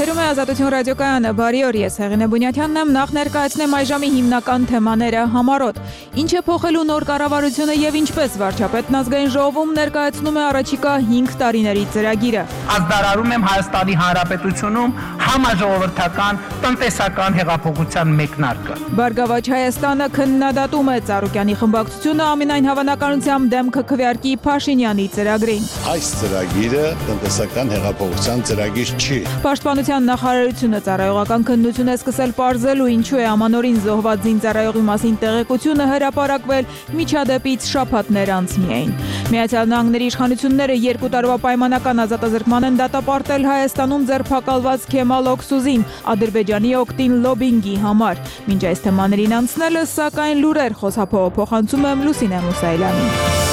Եթերում է Ազատություն ռադիոկայանը, բարի օր, ես Հեղինե Բունյաթյանն եմ, նախ ներկայացնեմ այժմի հիմնական թեմաները համառոտ։ Ինչ է փոխելու նոր կառավարությունը եւ ինչպես վարչապետն ազգային ժողովում ներկայացնում է առաջիկա 5 տարիների ծրագիրը։ Ազդարարում եմ Հայաստանի Հանրապետությունում համաժողովրդական տնտեսական հեղափոխության մեկնարկը։ Բարգավաճ Հայաստանը քննադատում է Ծառուկյանի խմբակցությունը ամենայն հավանականությամբ դեմքը քվեարկի Փաշինյանի ծրագրին։ Այս ծրագիրը տնտեսական հեղափոխության ծրագիր չի։ Պաշտպանության նախարարությունը ծառայողական քննություն է սկսել պարզելու ինչու է ամանորին զոհված զինծառայողի մասին տեղեկությունը հրապարակվել միջադեպից շաբաթներ անց միայն։ Միացյալ Նահանգների իշխանությունները 2 տարվա պայմանական ազատազրկման են դատապարտել Հայաստանում ձերբակալված Քեմալ Օքսուզին Ադրբեջանի օգտին լոբինգի համար։ Մինչ այս թեմաներին անցնելը, սակայն լուրեր խոսափողը փոխանցում եմ Լուսինե Մուսայելյանին։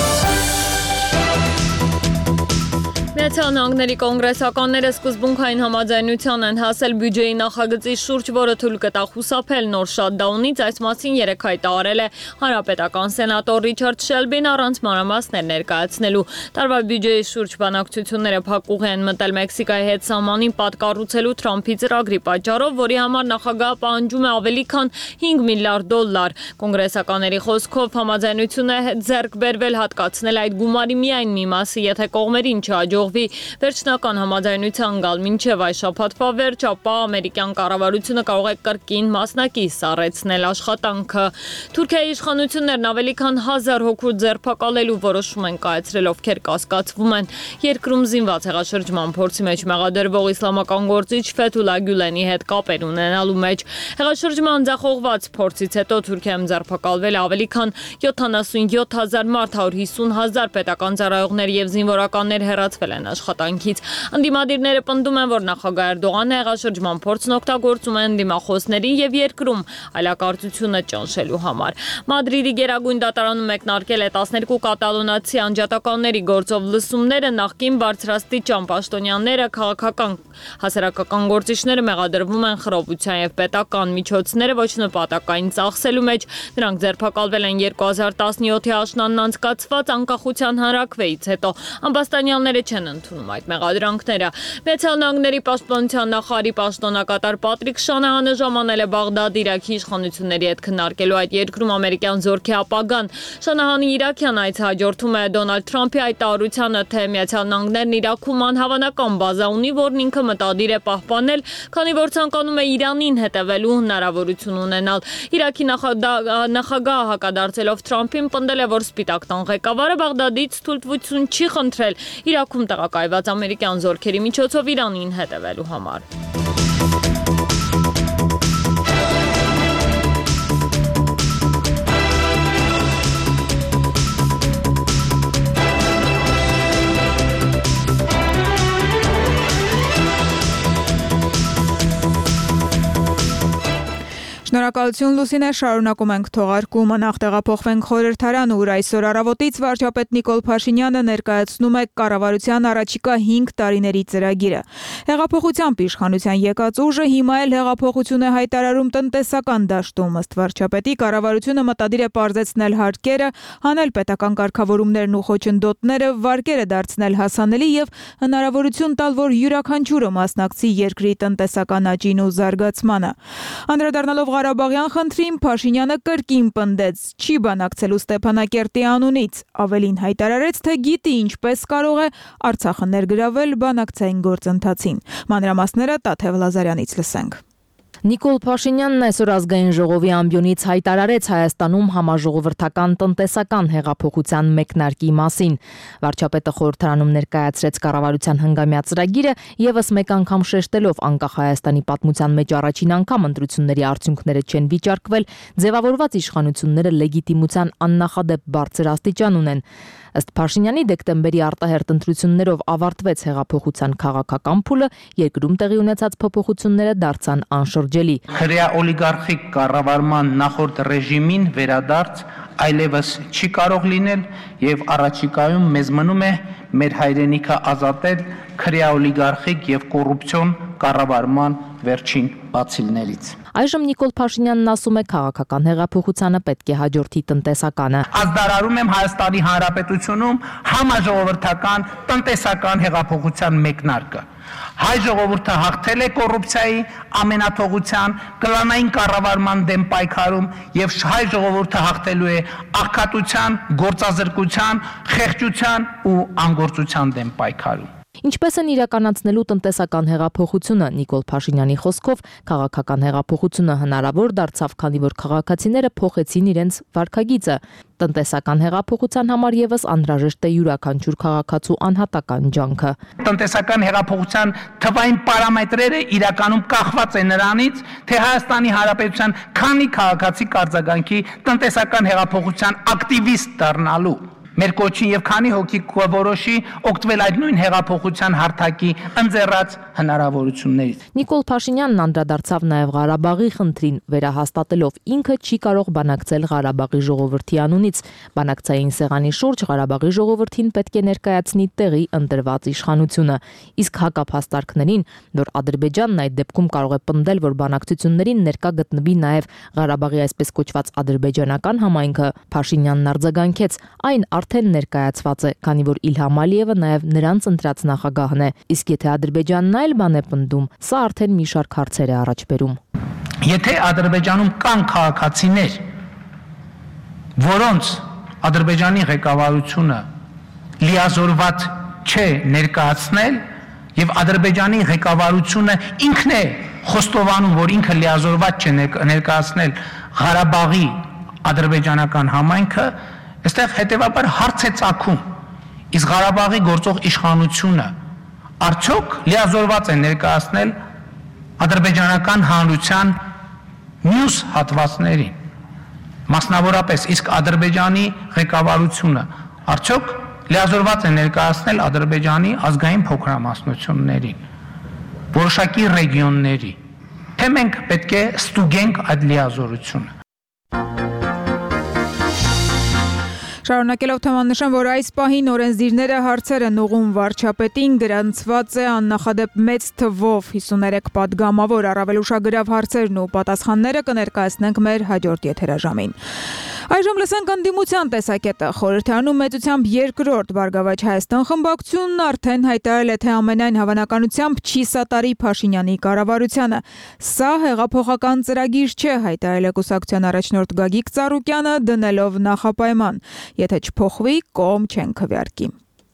Միացյալ Նահանգների կոնգրեսականները սկզբունքային համաձայնության են հասել բյուջեի նախագծի շուրջ, որը թույլ կտա խուսափել նոր շատդաունից, այս մասին երեկ հայտարարել է հանրապետական սենատոր Ռիչարդ Շելբին առանց մանրամասներ ներկայացնելու։ Տարվա բյուջեի շուրջ բանակցությունները փակուղի են մտել Մեքսիկայի հետ սահմանին պատկառուցելու Թրամփի ծրագրի պատճառով, որի համար նախագահը պահանջում է ավելի քան $5 միլիարդ։ Կոնգրեսականների խոսքով համաձայնություն է ձեռք բերվել հատկացնել այդ գումարի միայն մի մասը, եթե կողմերին չհաջողվի վերջնական համաձայնության գալ մինչև այս շաբաթվա վերջ, ապա ամերիկյան կառավարությունը կարող է կրկին մասնակից սառեցնել աշխատանքը։ Թուրքիայի իշխանություններն ավելի քան 1000 հոգու ձերբակալելու որոշում են կայացրել, ովքեր կասկածվում են երկրում զինված հեղաշրջման փորձի մեջ մեղադրվող իսլամական գործիչ Ֆեթուլա Գյուլենի հետ կապեր ունենալու մեջ։ Հեղաշրջման ձախողված փորձից հետո Թուրքիայում ձերբակալվել ավելի քան 77,000 մարդ, 150,000 պետական ծառայողներ եւ զինվորականներ հեռացվել են աշխատանքից։ Ընդդիմադիրները պնդում են, որ նախագահ Էրդողանը հեղաշրջման փորձն օգտագործում են դիմախոսների եւ երկրում այլակարծությունը ճնշելու համար։ Մադրիդի Գերագույն դատարանում մեկնարկել է 12 կատալոնացի անջատականների գործով լսումները, նախկին բարձրաստիճան պաշտոնյաները, քաղաքական հասարակական գործիչները մեղադրվում են խռովության եւ պետական միջոցները ոչ նպատակային ծախսելու մեջ։ Նրանք ձերբակալվել են 2017-ի աշնանն անցկացված անկախության հանրաքվեից հետո։ Ամբաստանյանները չեն ընդունում այդ մեղադրանքները։ Միացյալ Նահանգների պաշտպանության նախարարի պաշտոնակատար Պատրիկ Շանահանը ժամանել է Բաղդադ Իրաքի իշխանությունների հետ քննարկելու այդ երկրում ամերիկյան զորքի ապագան։ Շանահանի իրաքյան այցը հաջորդում է Դոնալդ Թրամփի հայտարարությանը, թե Միացյալ Նահանգներն Իրաքում անհավանական բազա ունի, որն ինքը մտադիր է պահպանել, քանի որ ցանկանում է Իրանին հետևելու հնարավորություն ունենալ։ Իրաքի նախագահը հակադարձելով Թրամփին պնդել է, որ Սպիտակ տան ղեկավարը Բաղդադից թույլտվություն չի խնդրել Իրաքում տեղակայված ամերիկյան զորքերի միջոցով Իրանին հետևելու համար։ Շնորհակալություն Լուսինե, շարունակում ենք թողարկումը, նախ տեղափոխվենք խորհրդարան, ուր այսօր առավոտից վարչապետ Նիկոլ Փաշինյանը ներկայացնում է կառավարության առաջիկա 5 տարիների ծրագիրը։ Հեղափոխությամբ իշխանության եկած ուժը հիմա էլ հեղափոխություն է հայտարարում տնտեսական դաշտում, ըստ վարչապետի կառավարությունը մտադիր է պարզեցնել հարկերը, հանել պետական կարգավորումներն ու խոչընդոտները, վարկերը դարձնել հասանելի եւ հնարավորություն տալ, որ յուրաքանչյուրը մասնակցի երկրի տնտեսական աճին ու զարգացմանը։ Անդրադառնալով Ղարաբաղյան խնդրին Փաշինյանը կրկին պնդեց, չի բանակցելու Ստեփանակերտի անունից, ավելին հայտարարեց, թե գիտի ինչպես կարող է Արցախը ներգրավել բանակցային գործընթացին։ Մանրամասները Տաթև Լազարյանից լսենք։ Նիկոլ Փաշինյանն այսօր ազգային ժողովի ամբիոնից հայտարարեց Հայաստանում համաժողովրդական տնտեսական հեղափոխության մեկնարկի մասին։ Վարչապետը խորհրդարանում ներկայացրեց կառավարության հնգամյա ծրագիրը, եւս մեկ անգամ շեշտելով անկախ Հայաստանի պատմության մեջ առաջին անգամ ընտրությունների արդյունքները չեն վիճարկվել, ձևավորված իշխանությունները լեգիտիմության աննախադեպ բարձր աստիճան ունեն։ Ըստ Փաշինյանի դեկտեմբերի արտահերթ ընտրություններով ավարտվեց հեղափոխության քաղաքական փուլը, երկրում տեղի ունեցած փոփոխությունները դարձան անշրջելի։ Հրեա օլիգարխիկ կառավարման նախորդ ռեժիմին վերադարձ այլևս չի կարող լինել եւ առաջիկայում մեզ մնում է մեր հայրենիքը ազատել քրեա օլիգարխիկ եւ կոռուպցիոն կառավարման վերջին բացիլներից։ Այժմ Նիկոլ Փաշինյանն ասում է, քաղաքական հեղափոխությանը պետք է հաջորդի տնտեսականը։ Ազդարարում եմ Հայաստանի Հանրապետությունում համաժողովրդական տնտեսական հեղափոխության մեկնարկը։ Հայ ժողովուրդը հաղթել է կոռուպցիայի, ամենաթողության, կլանային կառավարման դեմ պայքարում եւ հայ ժողովուրդը հաղթելու է աղքատության, գործազրկության, խեղճության ու անգործության դեմ պայքարում։ Ինչպես են իրականացնելու տնտեսական հեղափոխությունը, Նիկոլ Փաշինյանի խոսքով քաղաքական հեղափոխությունը հնարավոր դարձավ, քանի որ քաղաքացիները փոխեցին իրենց վարքագիծը։ Տնտեսական հեղափոխության համար եւս անհրաժեշտ է յուրաքանչյուր քաղաքացու անհատական ջանքը։ Տնտեսական հեղափոխության թվային պարամետրերը իրականում կախված է նրանից, թե Հայաստանի Հանրապետության քանի քաղաքացի կարձագանքի տնտեսական հեղափոխության ակտիվիստ դառնալու։ Մեր կոչին եւ քանի հոգի կորոշի օգտվել այդ նույն հեղափոխության հարթակի ընձեռած հնարավորություններից։ Նիկոլ Փաշինյանն անդրադարձավ նաեւ Ղարաբաղի խնդրին, վերահաստատելով ինքը չի կարող բանակցել Ղարաբաղի ժողովրդի անունից։ Բանակցային սեղանի շուրջ Ղարաբաղի ժողովրդին պետք է ներկայացնի տեղի ընտրված իշխանությունը։ Իսկ հակափաստարկներին, որ Ադրբեջանն այդ դեպքում կարող է պնդել, որ բանակցություններին ներկա գտնվի նաեւ Ղարաբաղի այսպես կոչված ադրբեջանական համայնքը, Փաշինյանն արձագանքեց, այն արդեն ներկայացված է, քանի որ Իլհամ Ալիևը նաև նրանց ընտրած նախագահն է, իսկ եթե Ադրբեջանն այլ բան է պնդում, սա արդեն մի շարք հարցեր է առաջ բերում։ Եթե Ադրբեջանում կան քաղաքացիներ, որոնց Ադրբեջանի ղեկավարությունը լիազորված չէ ներկայացնել, եւ Ադրբեջանի ղեկավարությունը ինքն է խոստովանում, որ ինքը լիազորված չէ ներկայացնել Ղարաբաղի ադրբեջանական համայնքը, այստեղ հետևաբար հարց է ծագում, իսկ Ղարաբաղի գործող իշխանությունը արդյոք լիազորված է ներկայացնել ադրբեջանական հանրության մյուս հատվածներին, մասնավորապես իսկ Ադրբեջանի ղեկավարությունը արդյոք լիազորված է ներկայացնել Ադրբեջանի ազգային փոքրամասնություններին, որոշակի ռեգիոնների, թե մենք պետք է ստուգենք այդ լիազորությունը։ Շարունակելով թեման նշեմ, որ այս պահին օրենսդիրները հարցեր են ուղղում վարչապետին, գրանցված է աննախադեպ մեծ թվով 53 պատգամավոր, առավել ուշագրավ հարցերն ու պատասխանները կներկայացնենք մեր հաջորդ եթերաժամին։ Այժմ լսենք ընդդիմության տեսակետը։ Խորհրդարանում մեծությամբ երկրորդ Բարգավաճ Հայաստան խմբակցությունն արդեն հայտարարել է, թե ամենայն հավանականությամբ չի սատարի Փաշինյանի կառավարությանը։ Սա հեղափոխական ծրագիր չէ, հայտարարել է կուսակցության առաջնորդ Գագիկ Ծառուկյանը, դնելով նախապայման. Եթե չփոխվի, կողմ չեն քվեարկի։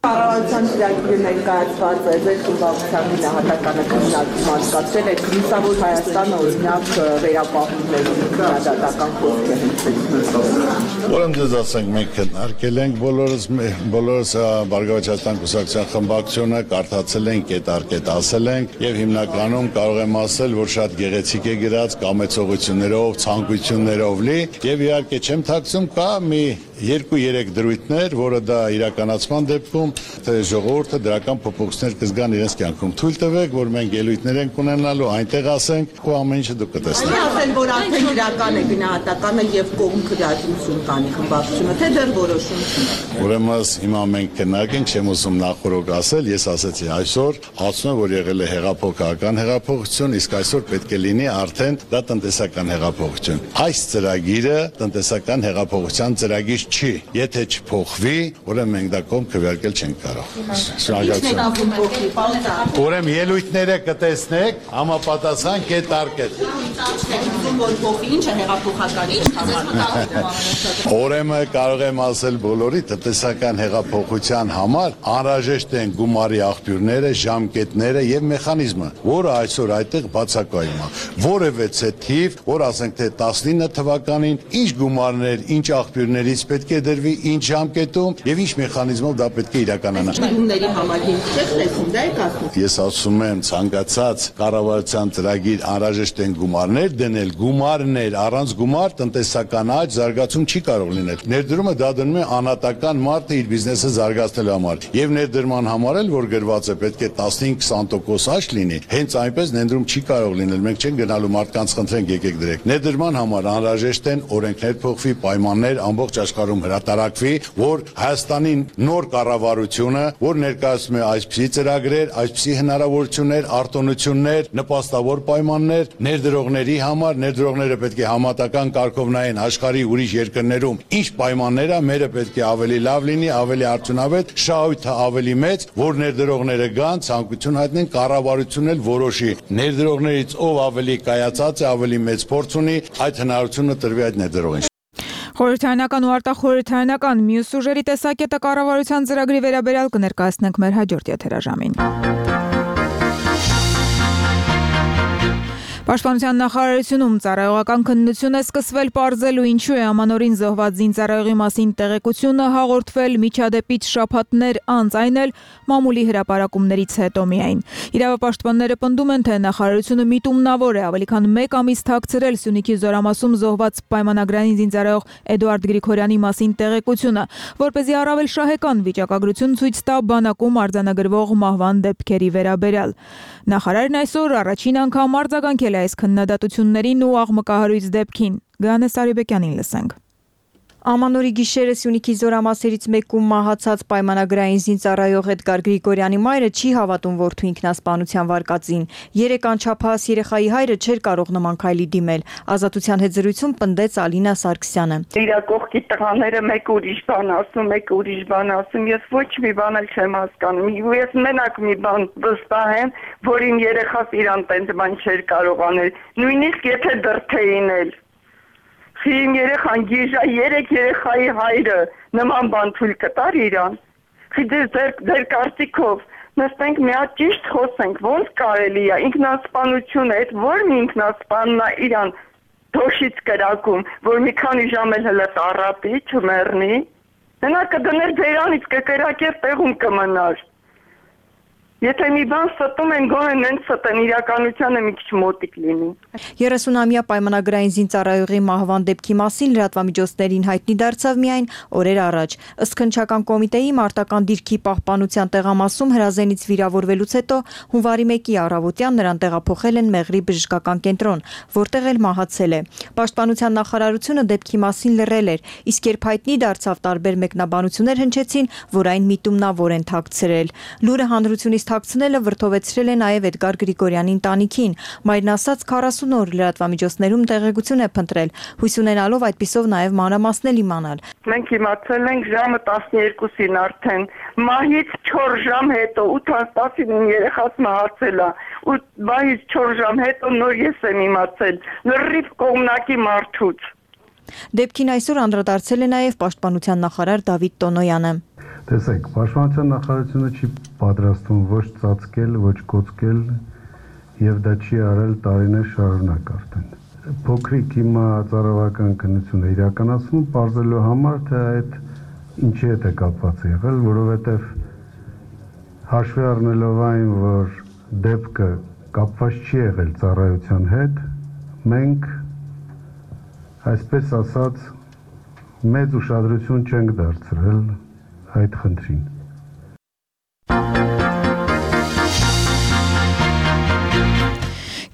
Կառավարության ծրագիրը ներկայացված է ձեր խմբակցության գնահատականը քննարկում անցկացրել է Լուսավոր Հայաստանը օրինակ վերապահումների քննադատական խոսքը հնչեցնում։ Ուրեմն դες ասենք մենք քննարկել ենք բոլորս Բարգավաճ Հայաստան կուսակցության խմբակցությունը կարդացել ենք, կետարկետ ասել ենք եւ հիմնականում կարող եմ ասել, որ շատ գեղեցիկ է գրած կամեցողություններով, ցանկություններով լի եւ իհարկե չեմ ཐակցում կա մի 2-3 դրույթներ, որը դա իրականացման դեպքում թե ժողովուրդը դրական փոփոխություններ կզգան իրենց կյանքում։ Թույլ տվեք, որ մենք ելույթներ ենք ունենալու, այնտեղ ասենք, ու ամեն ինչը դուք կտեսնեք։ Ասել, որ արդեն իրական է գնահատականը եւ կողմ քվեարկություն կանի խմբակցությունը, թե դեռ որոշում չունի։ Ուրեմն հիմա մենք քննարկենք, չեմ ուզում նախորդ ասել, ես ասացի այսօր, ասում եմ, որ եղել է հեղափոխական հեղափոխություն, իսկ այսօր պետք է լինի արդեն դա տնտեսական հեղափոխություն։ Այս ծրագիրը տնտեսական հեղափոխության ծրագիր չի։ Եթե չփոխվի, ուրեմն մենք դա կողմ քվեարկել չենք կարող։ Շնորհակալություն։ Ուրեմն ելույթները կտեսնեք, համապատասխան կետարկետ։ Ուրեմն կարող եմ ասել բոլորի տնտեսական հեղափոխության համար անհրաժեշտ են գումարի աղբյուրները, ժամկետները եւ մեխանիզմը, որը այսօր այդտեղ բացակայում է։ Որևէ թիվ, որ ասենք թե 19 թվականին ինչ գումարներ, ինչ աղբյուրներից պետք է դրվի, ինչ ժամկետում եւ ինչ մեխանիզմով դա պետք է իրականանա։ Ումների համար չեք տեսնում, դա եք ասում։ Ես ասում եմ, ցանկացած կառավարության ծրագիր անհրաժեշտ են գումարներ դնել, գումարներ, առանց գումար տնտեսական աճ զարգացում չի կարող լինել։ Ներդրումը դա դնում է անհատական մարդը իր բիզնեսը զարգացնելու համար։ Եվ ներդրման համար էլ որ գրված է պետք է 15-20% աճ լինի, հենց այնպես ներդրում չի կարող լինել։ Մենք չենք գնալու մարդկանց խնդրենք եկեք դրեք։ Ներդրման համար անհրաժեշտ են օրենքներ փոխվի, պայմաններ ամբողջ աշխարհ գաղափարում հրատարակվի, որ Հայաստանի նոր կառավարությունը, որ ներկայացնում է այսպիսի ծրագրեր, այսպիսի հնարավորություններ, արտոնություններ, նպաստավոր պայմաններ ներդրողների համար, ներդրողները պետք է համատական կարգով նայեն աշխարհի ուրիշ երկրներում ինչ պայմաններ է, մերը պետք է ավելի լավ լինի, ավելի արդյունավետ, շահույթը ավելի մեծ, որ ներդրողները գան, ցանկություն հայտնեն, կառավարությունն էլ որոշի ներդրողներից ով ավելի կայացած է, ավելի մեծ փորձ ունի, այդ հնարավորությունը տրվի այդ ներդրողին։ Խորհրդարանական ու արտախորհրդարանական մյուս ուժերի տեսակետը կառավարության ծրագրի վերաբերյալ կներկայացնենք մեր հաջորդ եթերաժամին։ Պաշտպանության նախարարությունում ծառայողական քննություն է սկսվել պարզելու ինչու է ամանորին զոհված զինծառայողի մասին տեղեկությունը հաղորդվել միջադեպից շաբաթներ անց, այն էլ մամուլի հրապարակումներից հետո միայն։ Իրավապաշտպանները պնդում են, թե նախարարությունը միտումնավոր է ավելի քան 1 ամիս թաքցրել Սյունիքի Զորամասում զոհված պայմանագրային զինծառայող Էդուարդ Գրիգորյանի մասին տեղեկությունը, որպեսզի առավել շահեկան վիճակագրություն ցույց տա բանակում արձանագրվող մահվան դեպքերի վերաբերյալ։ Նախարարն այսօր առաջին անգամ արձագանքել այս քննադատություններին ու աղմկահարույց դեպքին։ Գանես Արիբեկյանին լսենք։ Ամանորի գիշերը Սյունիքի Զորամասերից մեկում մահացած պայմանագրային զինծառայող Էդգար Գրիգորյանի մայրը չի հավատում որդու ինքնասպանության վարկածին։ 3 անչափահաս երեխայի հայրը չէր կարող նման քայլի դիմել։ Ազատության հետ զրույցում պնդեց Ալինա Սարգսյանը։ Իր կողքի տղաները մեկ ուրիշ բան ասում, մեկ ուրիշ բան ասում, ես ոչ մի բան էլ չեմ հասկանում։ Ես մենակ մի բան վստահ եմ, որ իմ երեխաս իրան տենց բան չէր կարող անել, նույնիսկ եթե դրթեին էլ։ Իմ երեխան գիժա 3 երեխայի հայրը նման բան թույլ կտար իրան։ Ձեր կարծիքով նստենք մի հատ ճիշտ խոսենք, ոնց կարելի է ինքնասպանություն է, այդ որ մի ինքնասպանն է իրան դոշից կրակում, որ մի քանի ժամ էլ հլը տառապի, չմեռնի։ Նա կդներ ձերանից կկրակեր տեղում կմնար։ Եթե մի բան ստում են, գոնե նենց ստեն, իրականությանը մի քիչ մոտիկ լինի։ 30-ամյա պայմանագրային զինծառայողի մահվան դեպքի մասին լրատվամիջոցներին հայտնի դարձավ միայն օրեր առաջ։ Ըստ քննչական կոմիտեի մարտական դիրքի պահպանության տեղամասում հրազենից վիրավորվելուց հետո հունվարի 1-ի առավոտյան նրան տեղափոխել են Մեղրի բժշկական կենտրոն, որտեղ էլ մահացել է։ Պաշտպանության նախարարությունը դեպքի մասին լռել էր, իսկ երբ հայտնի դարձավ, տարբեր մեկնաբանություններ հնչեցին, որ այն միտումնավոր են թաքցրել։ Լուրը հանրությունից թաքցնելը վրդովեցրել է նաև Էդգար Գրիգորյանի ընտանիքին։ Մայրն ասաց 40 օր լրատվամիջոցներում տեղեկություն է փնտրել, հույս ունենալով այդպիսով նաև մանրամասնել իմանալ։ Մենք իմացել ենք ժամը 12-ին արդեն, մահից 4 ժամ հետո 8-10-ին երեխաս մահացել է, ու մահից 4 ժամ հետո նոր ես եմ իմացել, լրիվ կողմնակի մարդուց։ Դեպքին այսօր անդրադարձել է նաև պաշտպանության նախարար Դավիթ Տոնոյանը։ Տեսեք, պաշտպանության նախարարությունը չի պատրաստվում ոչ ծածկել, ոչ կոծկել եւ դա չի արել տարիներ շարունակ արդեն։ Փոքրիկ հիմա ծառայական քննություն է իրականացվում, բարձելու համար թե այդ ինչի հետ է կապված եղել, որովհետեւ հաշվի առնելով այն, որ դեպքը կապված չի եղել ծառայության հետ, մենք այսպես ասած մեծ ուշադրություն չենք դարձրել այդ խնդրին։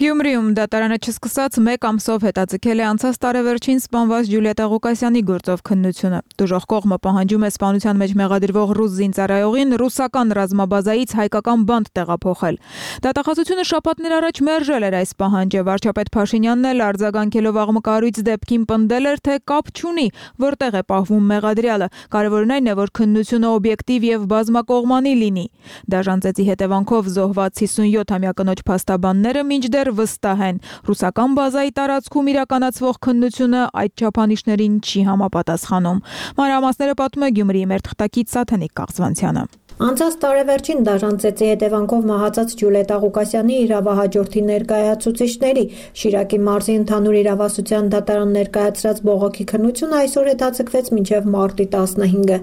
Գյումրիում դատարանը չսկսած 1 ամսով հետաձգել է անցած տարեվերջին սպանված Ջուլիետա Ղուկասյանի գործով քննությունը։ Դժոխք կողմը պահանջում է սպանության մեջ մեղադրվող ռուս զինծառայողին ռուսական ռազմաբազայից հայկական բանտ տեղափոխել։ Դատախազությունը շաբաթներ առաջ մերժել էր այս պահանջը։ Վարչապետ Փաշինյանն էլ արձագանքելով աղմկահարույց դեպքին պնդել էր, թե կապ չունի, որտեղ է պահվում մեղադրյալը։ Կարևորն այն է, որ քննությունը օբյեկտիվ եւ բազմակողմանի լինի։ Դաժան ծեծի հետևանքով զոհված 57-ամյա կնոջ փաստաբանները մինչդեռ վստահ են, ռուսական բազայի տարածքում իրականացվող քննությունը այդ չափանիշներին չի համապատասխանում։ Մանրամասները պատմում է Գյումրիի մեր թղթակից Սաթենիկ Կաղցվանցյանը։ Անցած տարեվերջին դաժան ծեծի հետևանքով մահացած Ջուլիետա Ղուկասյանի իրավահաջորդի ներկայացուցիչների Շիրակի մարզի ընդհանուր իրավասության դատարան ներկայացրած բողոքի քննությունը այսօր հետաձգվեց մինչև մարտի 15-ը։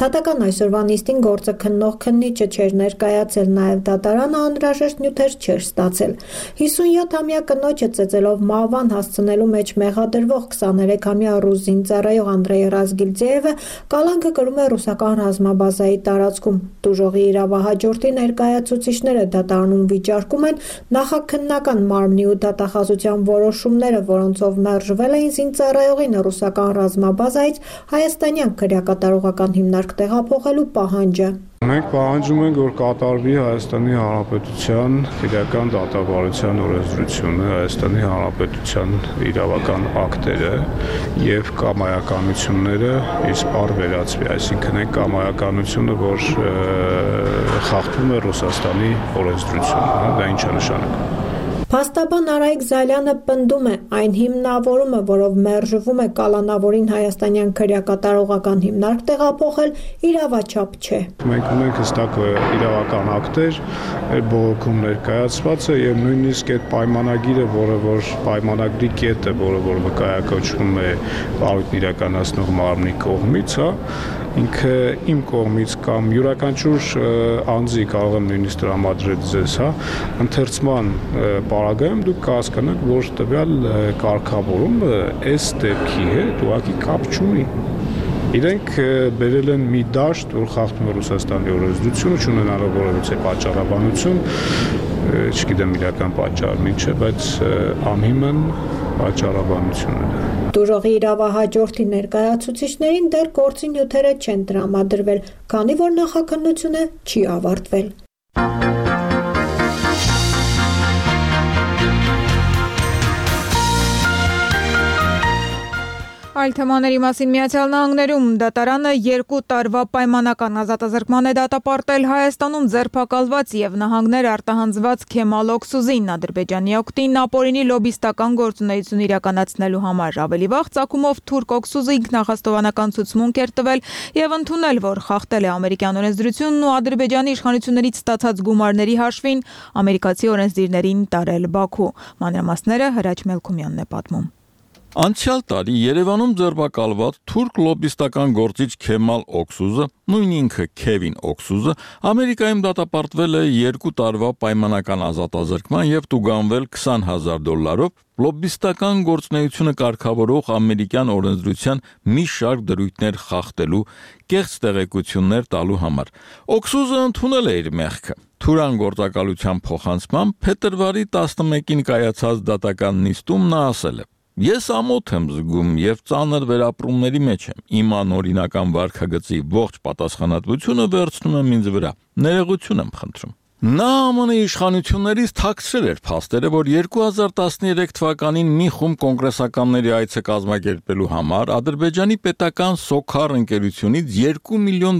Դատական այսօրվա նիստին գործը քննող քննիչը չէր ներկայացել, նաև դատարանը անհրաժեշտ նյութեր չէր ստացել։ 57 18-ամյա կնոջը ծեծելով մահվան հասցնելու մեջ մեղադրվող 23-ամյա ռուս զինծառայող Անդրեյ Ռազգիլձեևը կալանքը կրում է ռուսական ռազմաբազայի տարածքում։ Տուժողի իրավահաջորդի ներկայացուցիչները դատարանում վիճարկում են նախաքննական մարմնի ու դատախազության որոշումները, որոնցով մերժվել էին զինծառայողին ռուսական ռազմաբազայից հայաստանյան քրեակատարողական հիմնարկ տեղափոխելու պահանջը։ Մենք պահանջում ենք, որ կատարվի Հայաստանի Հանրապետության քրեական դատավարության օրենսդրությունը, Հայաստանի Հանրապետության իրավական ակտերը եւ կամայականությունները իսպառ վերածվի, այսինքն այն կամայականությունը, որ խախտում է Ռուսաստանի օրենսդրությունը, դա ինչ է նշանակում։ Փաստաբան Արայիկ Զալյանը պնդում է, այն հիմնավորումը, որով մերժվում է կալանավորին հայաստանյան քրեակատարողական հիմնարկ տեղափոխել, իրավաչափ չէ։ Մենք ունենք հստակ իրավական ակտեր, այդ բողոքում ներկայացված է եւ նույնիսկ այդ պայմանագիրը, որ պայմանագրի կետը, որը վկայակոչվում է պարույտն իրականացնող մարմնի կողմից, ինքը իմ կողմից կամ յուրաքանչյուր անձի կարող եմ նույնիսկ տրամադրել ձեզ, ընթերցման պարագայում դուք կհասկանաք, որ տվյալ կարգավորումը այս դեպքի հետ ուղղակի կապ չունի։ Իրենք բերել են մի դաշտ, որ խախտում է Ռուսաստանի օրենսդրությունը, չունենալով որևիցե պատճառաբանություն, չգիտեմ իրական պատճառն ինչ է, բայց անհիմն պատճառաբանություն է։ Տուժողի իրավահաջորդի ներկայացուցիչներին դեռ գործի նյութերը չեն տրամադրվել, քանի որ նախաքննությունը չի ավարտվել։ Այլ թեմաների մասին Միացյալ Նահանգներում դատարանը 2 տարվա պայմանական ազատազրկման է դատապարտել Հայաստանում ձերբակալված եւ նահանգներ արտահանձված Քեմալ Օքսուզին Ադրբեջանի օգտին ապօրինի լոբիստական գործունեություն իրականացնելու համար։ Ավելի վաղ ցակումով թուրք Օքսուզը ինքնահաստովանական ցուցմունք էր տվել եւ ընդունել, որ խախտել է ամերիկյան օրենսդրությունն ու Ադրբեջանի իշխանություններից ստացած գումարների հաշվին ամերիկացի օրենսդիրներին տարել Բաքու։ Մանրամասները Հրաչ Մելքումյանն է պատմում։ Անցյալ տարի Երևանում ձերբակալված թուրք լոբիստական գործիչ Քեմալ Օքսուզը, նույն ինքը Քևին Օքսուզը, Ամերիկայում դատապարտվել է 2 տարվա պայմանական ազատազրկման եւ տուգանվել $20,000 լոբիստական գործունեությունը կարգավորող ամերիկյան օրենսդրության մի շարք դրույթներ խախտելու, կեղծ տեղեկություններ տալու համար։ Օքսուզը ընդունել է իր մեղքը։ Թուրան գործակալության փոխանցմամբ փետրվարի 11-ին կայացած դատական նիստում նա ասել է. Ես ամոթ եմ զգում եւ ծանր վերապրումների մեջ եմ։ Իմ անօրինական վարքագծի ողջ պատասխանատվությունը վերցնում եմ ինձ վրա։ Ներողություն եմ խնդրում։ Նա ԱՄՆ իշխանություններից թաքցրել էր փաստերը, որ 2013 թվականին մի խումբ կոնգրեսականների այցը կազմակերպելու համար Ադրբեջանի պետական Սոքար ընկերությունից $2 միլիոն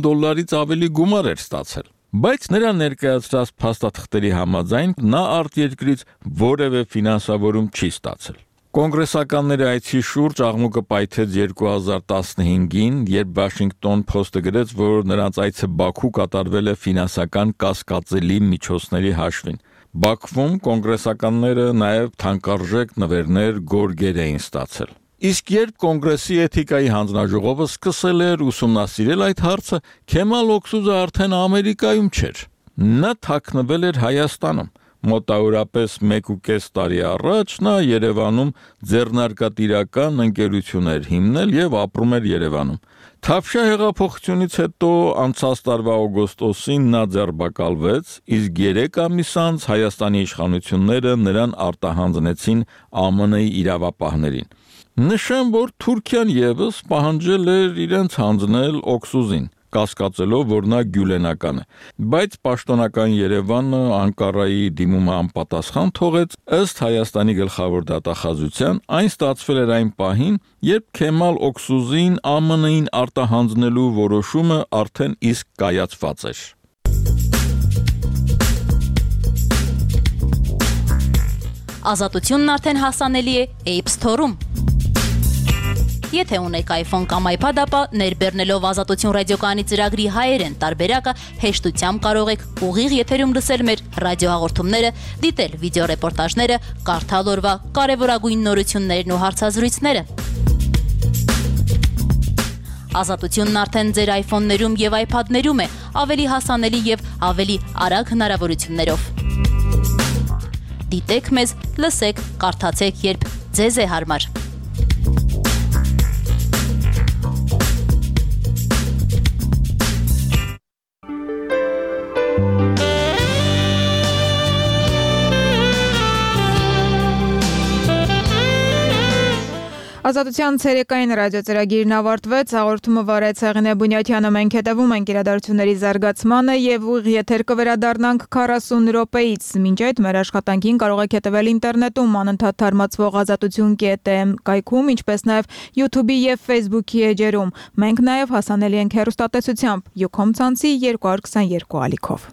ավելի գումար էր ստացել։ Բայց նրա ներկայացրած փաստաթղթերի համաձայն նա արտերկրից որևէ ֆինանսավորում չի ստացել։ Կոնգրեսականների այցի շուրջ աղմուկը պայթեց 2015-ին, երբ Washington Post-ը գրեց, որ նրանց այցը Բաքու կատարվել է ֆինանսական կասկածելի միջոցների հաշվին։ Բաքվում կոնգրեսականները նաև թանկարժեք նվերներ, գորգեր էին ստացել։ Իսկ երբ Կոնգրեսի էթիկայի հանձնաժողովը սկսել էր ուսումնասիրել այդ հարցը, Քեմալ Օքսուզը արդեն Ամերիկայում չէր։ Նա թաքնվել էր Հայաստանում։ Մոտավորապես 1.5 տարի առաջ նա Երևանում ձեռնարկատիրական ընկերություն էր հիմնել եւ ապրում էր Երևանում։ Թավշյա հեղափոխությունից հետո անցած տարվա օգոստոսին նա ձերբակալվեց, իսկ 3 ամիս անց Հայաստանի իշխանությունները նրան արտահանձնեցին ԱՄՆ-ի իրավապահներին։ Նշեմ, որ Թուրքիան եւս պահանջել էր իրենց հանձնել Օքսուզին, կասկածելով, որ նա գյուլենական է, բայց պաշտոնական Երևանը Անկարայի դիմումը անպատասխան թողեց, ըստ Հայաստանի գլխավոր դատախազության, այն ստացվել էր այն պահին, երբ Քեմալ Օքսուզին ԱՄՆ-ին արտահանձնելու որոշումը արդեն իսկ կայացված էր։ Ազատությունն արդեն հասանելի է App Store-ում։ Եթե ունեք iPhone կամ iPad, ապա ներբեռնելով Ազատություն ռադիոկայանի ծրագրի հայերեն տարբերակը հեշտությամբ կարող եք ուղիղ եթերում լսել մեր ռադիոհաղորդումները, դիտել վիդեոռեպորտաժները, կարդալ օրվա կարևորագույն նորություններն ու հարցազրույցները։ Ազատությունն արդեն ձեր iPhone-ներում եւ iPad-ներում է, ավելի հասանելի եւ ավելի արագ հնարավորություններով։ Դիտեք մեզ, լսեք, կարդացեք, երբ ձեզ է հարմար։ Ազատության ցերեկային ռադիոծրագիրն ավարտվեց, հաղորդումը վարեց Հեղինե Բունյաթյանը, մենք հետևում ենք իրադարձությունների զարգացմանը եւ ուղիղ եթեր կվերադառնանք 40 րոպեից։ Մինչ այդ մեր աշխատանքին կարող եք հետևել ինտերնետում անընդհատ թարմացվող azatutun.am կայքում, ինչպես նաեւ YouTube-ի եւ Facebook-ի էջերում։ Մենք նաեւ հասանելի ենք հեռուստատեսությամբ Ucom ցանցի 222 ալիքով։